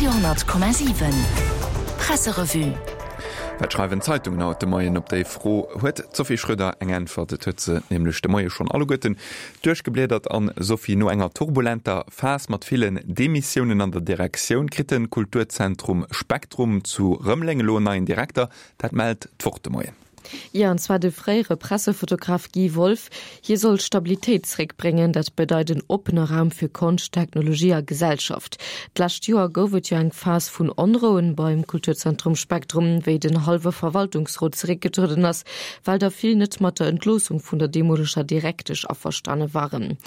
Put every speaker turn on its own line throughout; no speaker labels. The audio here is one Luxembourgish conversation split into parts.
Radio 10,7 Presserevue.
Wat schreiwen d'Zeitungen haut de Moien? Op déi Fro huet d'Sophie Schröder eng Äntwert. Et huet se nämlech de Moie schonn alleguerten duerchgebliedert. An, Sophie, no enger turbulenter Phas mat villen Demissiounen an der Direktioun kritt de Kulturzentrum Spektrum zu Rëmeleng elo en neien Direkter. Dat mellt d'Wort de Moien.
Jo, an zwar de fréiere Pressefotograf Guy Wolff. Hie soll Stabilitéit zeréckbréngen. Dat bedeit en oppene Raum fir Konscht, Technologie a Gesellschaft. D'lescht Joer gouf et jo eng Phas vun Onrouen beim Kulturzentrum Spektrum, wéi den hallwe Verwaltungsrot zeréckgetrueden ass, well der vill net mat der Entloossung vun der deemoleger Direktesch averstane waren.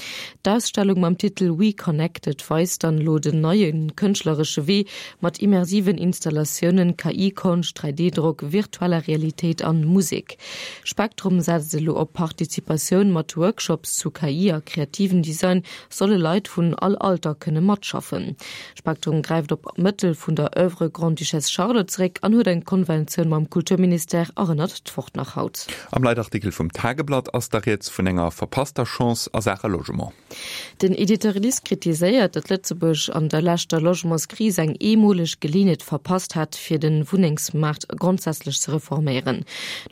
D'Ausstellung mam Titel We Connected weist dann elo den neie kënschtleresche Wee, Mat immersiven Installatiounen, KI-Konscht, 3D-Drock, virtueller Realitéit an Musek. Spektrum setzt elo op Participatioun, mat Workshops zu KI a kreativen Design solle Leit vun all Alter kënne matschaffen. Spektrum gräift op Mëttel vun der Oeuvre Grande-Duchesse Charlotte zeréck an huet eng Konventioun mam Kulturministère, erënnert d'Wort nach haut.
Am Leitartikel vum Tageblatt ass da rieds vun enger verpasster Chance a Saache Logement.
Den Editorialist kritiséiert, datt Lëtzebuerg an der leschter Logementskris eng eemoleg Geleeënheet verpasst hätt, fir de Wunnengsmaart grondsätzlech ze reforméieren.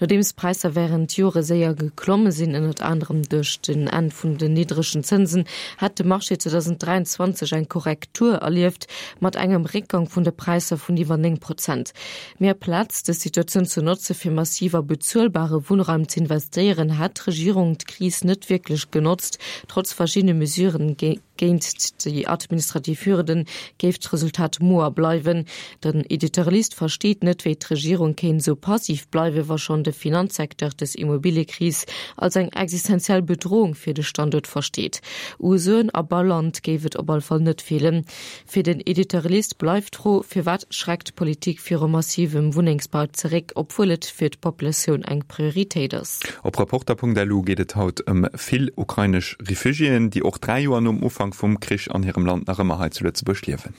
Nodeems d'Präisser wärend Jore séier geklomme sinn, ënnert anerem duerch den Enn vun den niddregen Zënsen, hätt de Marché 2023 eng Korrektur erlieft, mat engem Réckgang vun de Präisser vun iwwer 9 Prozent. Mee aplaz dës Situatioun ze notze fir massiv a bezuelbare Wunnraum z'investéieren, hätt d'Regierung d'Kris net wierklech genotzt. Trotz verschiddene Mesuren géint déi administrativ Hürden, géif d'Resultat moer bleiwen. Den Editorialist versteet net, wéi d'Regierung kéint esou passiv bleiwen, wa schonn de Finanzsecteur dës Immobiliëkris als eng existenziell Bedrohung fir de Standuert versteet. U Suen a Bauland géif et op all Fall net feelen. Fir den Editorialist bleift d'Fro, Firwat schreckt d'Politik viru massivem Wunnengsbau zeréck, obwuel et fir d'Populatioun eng Prioritéit ass?
Op Reporter.lu geet et haut ëm vill ukrainesch Refugiéen, déi och 3 Joer nom Ufank vum Krich an hirem Land nach ëmmer hei zu Lëtzebuerg liewen.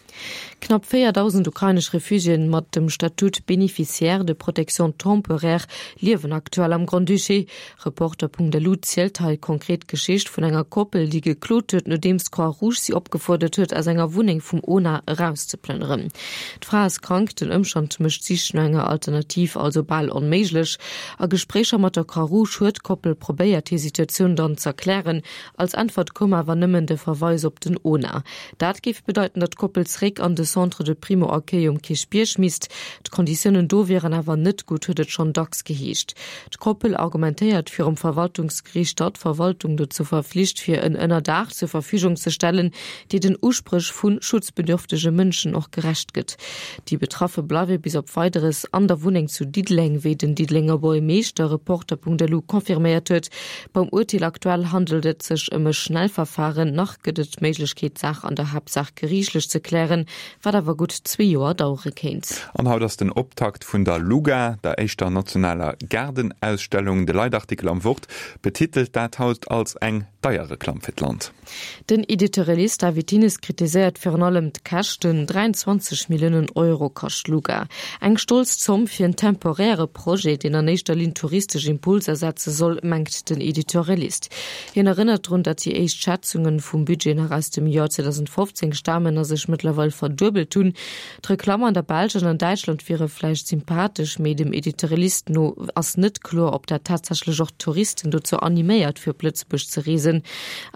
Knapp 4.000 ukrainesch Refugiéen mat dem Statut Bénéficiaire de protection temporaire liewen aktuell am Grand-Duché. Reporter.lu zielt hei konkret d'Geschicht vun enger Koppel, déi geklot huet, nodeems d'Croix-Rouge si opgefuerdert huet, aus enger Wunneng vum ona erauszeplënneren. D'Fra ass krank, den Ëmstand mécht d'Sich no enger Alternativ also bal onméiglech. A Gespréicher mat der Croix-Rouge huet d'Koppel probéiert, hir Situatioun dann z'erklären. Als Äntwert koum awer nëmmen de Verweis op den ona. Dat géif bedeiten, datt d'Koppel zeréck an de Centre de Primo-Accueil um Kierchbierg misst. D'Konditiounen do wieren awer net gutt, huet et schonn dacks geheescht. D'Koppel argumentéiert virum Verwaltungsgeriicht, datt d'Verwaltung dozou verflicht wier, en Ënnerdaach zur Verfügung ze stellen, déi den Uspréch vu schutzbedürftege Mënschen och gerecht gëtt. Déi Betraffe bleiwe bis op Weideres an der Wunneng zu Diddeleng, wéi den Diddelenger Buergermeeschter Reporter.lu confirméiert huet. Beim Urteel aktuell handelt et sech ëm e Schnellverfahren. Nach gëtt et d'Méiglechkeet, d'Saach an der Haaptsaach geriichtlech ze klären, wat awer gutt zwee Joer dauere kéint.
An haut ass den Optakt vun der LUGA, der éischter nationaler Gaardenausstellung. De Leitartikel am Wort betitelt dat haut als eng deier Reklamm fir d'Land.
Den Editorialist David Thines kritiséiert virun allem d'Käschten, 23 Milliounen Euro kascht d'LUGA. Eng stolz Zomm fir en temporäre Projet, deen an éischter Linn touristesch Impulser setze soll, mengt den Editorialist. Hien erënnert drun, datt déi éischt Schätzunge vum Budget nach aus dem Joer 2015 stamen a sech mëttlerweil verduebelt hunn. D'Reklamm an der Belsch an an Däitschland wiere vläicht sympathesch, mee dem Editorialist no ass net kloer, ob dat tatsächlech och d'Touristen dozou animéiert, fir op Lëtzebuerg ze reesen.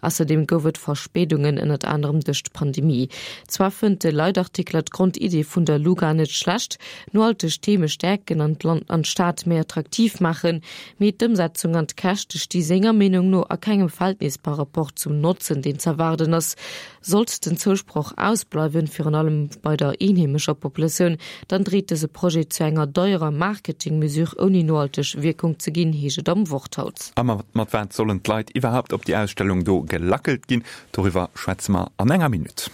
Ausserdeem gouf et Verspéidungen, ënnert anerem duerch d'Pandemie. Zwar fënnt de Leitartikler d'Grondidee vun der Luga net schlecht, nohalteg Theme stäerken an d'Land an d'Stad méi attraktiv maachen, Mee d'Ëmsetzung an d'Käschte sti senger Meenung no a kengem Verhältnis par rapport zum Notzen, deen z'erwaarden ass. Sollt den Zousproch ausbleiwen, virun allem bei der eenheemescher Populatioun, dann dreet dëse Projet zu enger deierer Marketing-Mesure ouni nohalteg Wierkung ze ginn, heescht et am Wort haut.
A mat wat sollen d'Leit iwwerhaupt op déi Ausstellung do gelackelt ginn? Doriwwer schwätze mer an enger Minutt.